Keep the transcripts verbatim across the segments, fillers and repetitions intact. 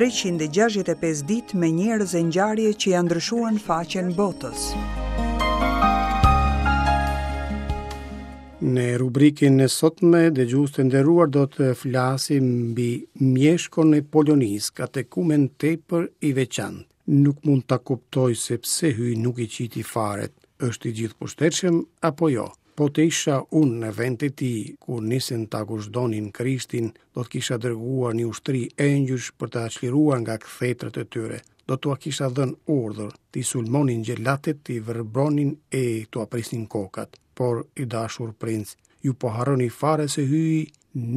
treqind e gjashtëdhjetë e pesë ditë me njerëz e ngjarje që ja ndryshuan faqen botës. Në rubrikën e sotme, dëgjues të nderuar, do të flasim mbi Mieshkon e Polonisë, katekumen tepër i veçantë. Nuk mund ta kuptoj se pse Hyji nuk i qiti faret, është i gjithëpushtetshëm apo jo. Po të isha unë në vend të tij, kur nisën ta guzhdonin Krishtin, do të kisha dërguar një ushtri engjëjsh për ta çliruar nga kthetrat e tyre. Do t'ua kisha dhënë urdhër, t'i sulmonin xhelatët, t'i verbronin e t'ua prisnin kokat. Por, i dashur princ, ju po harroni fare se Hyji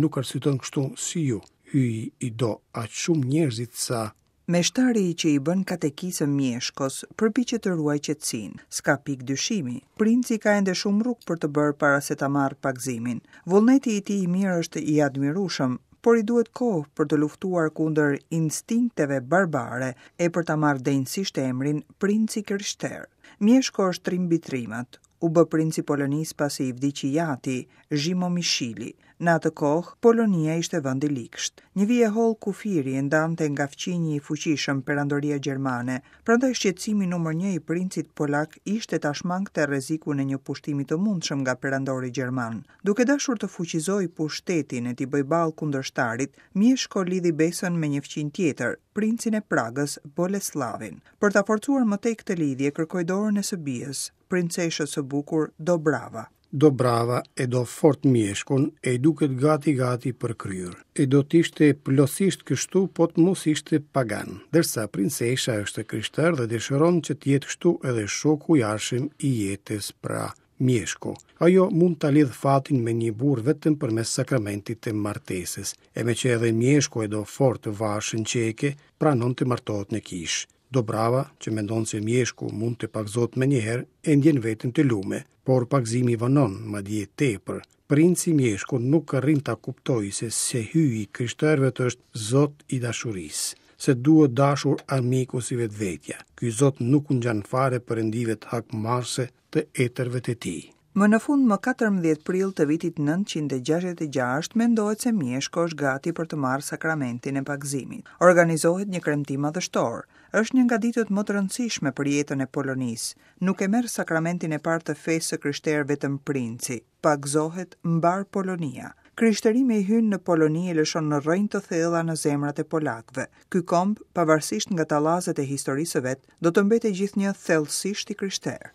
nuk arsyeton kështu si ju. Hyji i do aq shumë njerëzit sa Meshtari që i bën katekizëm Mieshkos përpiqet të ruajë qetësinë. S'ka pikë dyshimi. Princi ka ende shumë rrugë për të bërë para se ta marrë pagëzimin. Vullneti i tij i mirë është i admirueshëm, por i duhet kohë për të luftuar kundër instinkteve barbare e për ta marrë denjësisht emrin Princi Krishter. Mieshko është trim mbi trimat. U bë princi Polonisë pasi i vdiq i jati, Zhimo Mishili. Në atë kohë, Polonia ishte vend i ligsht. Një vijë e hollë kufiri e ndante nga fqinji i fuqishëm Perandoria Gjermane, prandaj shqetësimi numër një i princit polak ishte ta shmangte rrezikun e një pushtimi të mundshëm nga perandori gjerman. Duke dashur të fuqizojë pushtetin e t'i bëjë ballë kundërshtarit, Mieshko lidhi besën me një fqinj tjetër, princin e Pragës, Boleslavin. Për ta forcuar më tej këtë lidhje, kërkoi dorën e së bijës, princeshës së bukur Dobrava. Dobrava e do fort Mieshkun e i duket gati gati për kryer. E do t'ishte plotësisht kështu, po të mos ishte pagan, ndërsa princesha është e krishterë dhe dëshiron që të jetë kështu edhe shoku i ardhshëm i jetës, pra Mieshko. Ajo mund ta lidh fatin me një burrë vetëm përmes sakramentit të martesës, e me që edhe Mieshko e do fort vashën çeke, pranon të martohet në kishë. Dobrava, që mendon se Mieshku mund të pagëzohet menjëherë, e ndjen veten të lume, por pagëzimi vonon, madje tepër. Princi Mieshku nuk arrin ta kuptojë se se Hyji i krishterëve është Zot i dashurisë, se duhet dashur armiku si vetvetja. Ky Zot nuk u ngjan fare perëndive të hakmarrëse të etërve të tij. Më në fund, më katërmbëdhjetë prill të vitit nëntëqind e gjashtëdhjetë e gjashtë, mendohet se Mieshko është gati për të marrë sakramentin e pagëzimit. Organizohet një kremtim madhështor. Është një nga ditët më të rëndësishme për jetën e Polonisë. Nuk e merr sakramentin e parë të fesë së krishterë vetëm princi, pagëzohet mbar Polonia. Krishterimi i hyn në Poloni e lëshon në rrënjë të thella në zemrat e polakëve. Ky komb, pavarësisht nga tallazet e historisë së vet, do të mbetet gjithnjë thellësisht i krishterë.